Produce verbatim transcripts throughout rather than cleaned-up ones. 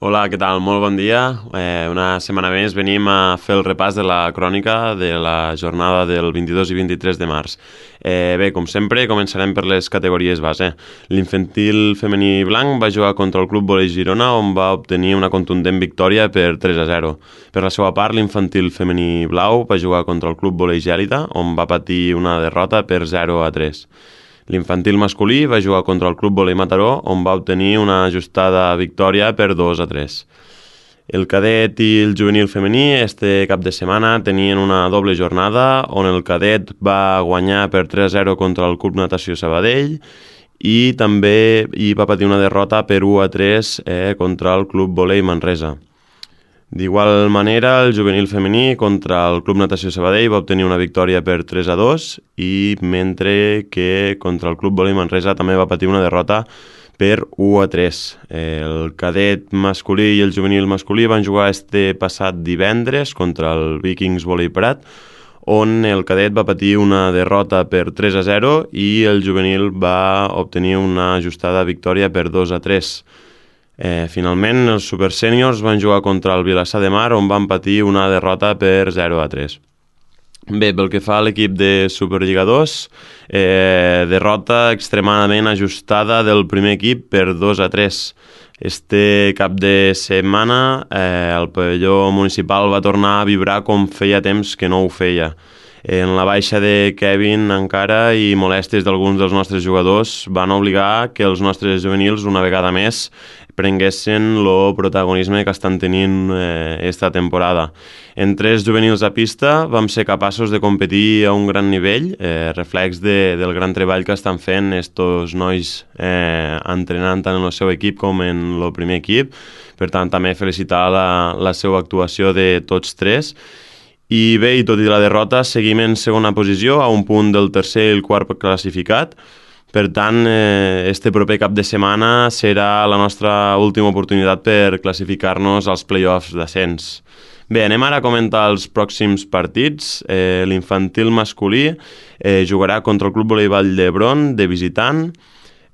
Hola, què tal? Molt bon dia. Eh, una setmana més venim a fer el repàs de la crònica de la jornada del vint-i-dos i vint-i-tres de març. Eh, bé, com sempre, començarem per les categories base. L'infantil femení blanc va jugar contra el Club Volei Girona, on va obtenir una contundent victòria per tres a zero. Per la seva part, l'infantil femení blau va jugar contra el Club Volei Gèlida, on va patir una derrota per zero a tres. L'infantil masculí va jugar contra el Club Volei Mataró, on va obtenir una ajustada victòria per dos a tres. El cadet i el juvenil femení este cap de setmana tenien una doble jornada, on el cadet va guanyar per tres a zero contra el Club Natació Sabadell i també hi va patir una derrota per u a tres eh, contra el Club Volei Manresa. D'igual manera, el juvenil femení contra el Club Natació Sabadell va obtenir una victòria per tres a dos i mentre que contra el Club Volei Manresa també va patir una derrota per u a tres. El cadet masculí i el juvenil masculí van jugar este passat divendres contra el Vikings Volei Prat, on el cadet va patir una derrota per tres a zero i el juvenil va obtenir una ajustada victòria per dos a tres. Eh, finalment, els supersèniors van jugar contra el Vilassar de Mar, on van patir una derrota per zero a tres. Bé, pel que fa a l'equip de Superliga dos, eh, derrota extremadament ajustada del primer equip per dos a tres. Este cap de setmana eh, el pavelló municipal va tornar a vibrar com feia temps que no ho feia. En la baixa de Kevin encara i molèsties d'alguns dels nostres jugadors van obligar que els nostres juvenils una vegada més prenguessin el protagonisme que estan tenint eh, esta temporada. En tres juvenils a pista vam ser capaços de competir a un gran nivell, eh, reflex de, del gran treball que estan fent estos nois eh, entrenant tant en el seu equip com en el primer equip. Per tant, també felicitar la, la seva actuació de tots tres. I bé, i tot i la derrota, seguim en segona posició, a un punt del tercer i el quart classificat. Per tant, eh, este proper cap de setmana serà la nostra última oportunitat per classificar-nos als play-offs d'ascens. Bé, anem ara a comentar els pròxims partits. Eh, l'infantil masculí eh, jugarà contra el Club Volei Vall d'Hebron, de visitant.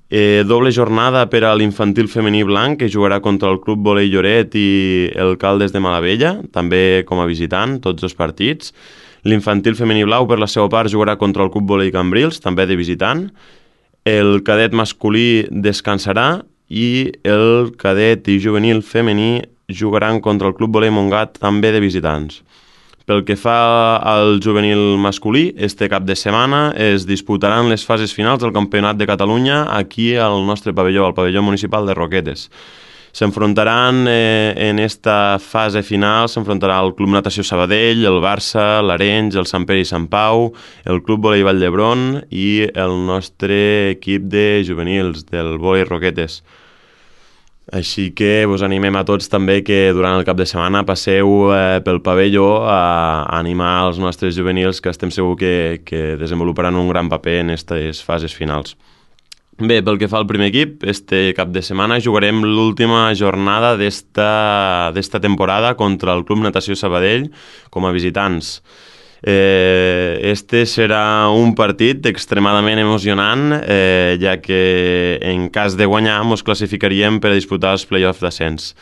Eh, doble jornada per a l'infantil femení blanc, que jugarà contra el Club Volei Lloret i el Caldes de Malavella, també com a visitant, tots dos partits. L'infantil femení blau, per la seva part, jugarà contra el Club Volei Cambrils, també de visitant. El cadet masculí descansarà i el cadet i juvenil femení jugaran contra el Club Volei Montgat, també de visitants. Pel que fa al juvenil masculí, este cap de setmana es disputaran les fases finals del Campionat de Catalunya aquí al nostre pavelló, al pavelló municipal de Roquetes. S'enfrontaran eh, en esta fase final, s'enfrontarà el Club Natació Sabadell, el Barça, l'Arenys, el Sant Pere i Sant Pau, el Club Volei Vall d'Hebron i el nostre equip de juvenils del Volei Roquetes. Així que vos animem a tots també que durant el cap de setmana passeu eh, pel pavelló a, a animar els nostres juvenils, que estem segurs que, que desenvoluparan un gran paper en aquestes fases finals. Bé, pel que fa al primer equip, este cap de setmana jugarem l'última jornada d'esta d'esta temporada contra el Club Natació Sabadell com a visitants. Eh, este serà un partit extremadament emocionant, eh, ja que en cas de guanyar ens classificaríem per a disputar els play-offs d'ascens.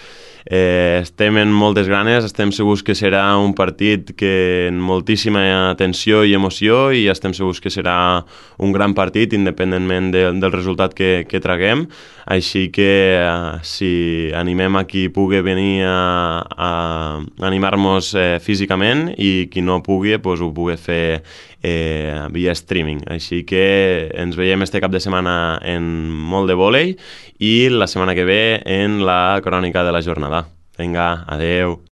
Eh, estem en moltes ganes, estem segurs que serà un partit que en moltíssima atenció i emoció i estem segurs que serà un gran partit independentment de, del resultat que, que traguem. Així que eh, si animem a qui pugui venir a, a animar-nos eh, físicament i qui no pugui pues, ho pugui fer eh, via streaming. Així que ens veiem este cap de setmana en molt de vòlei i la setmana que ve en la crònica de la jornada. Vinga, adeu.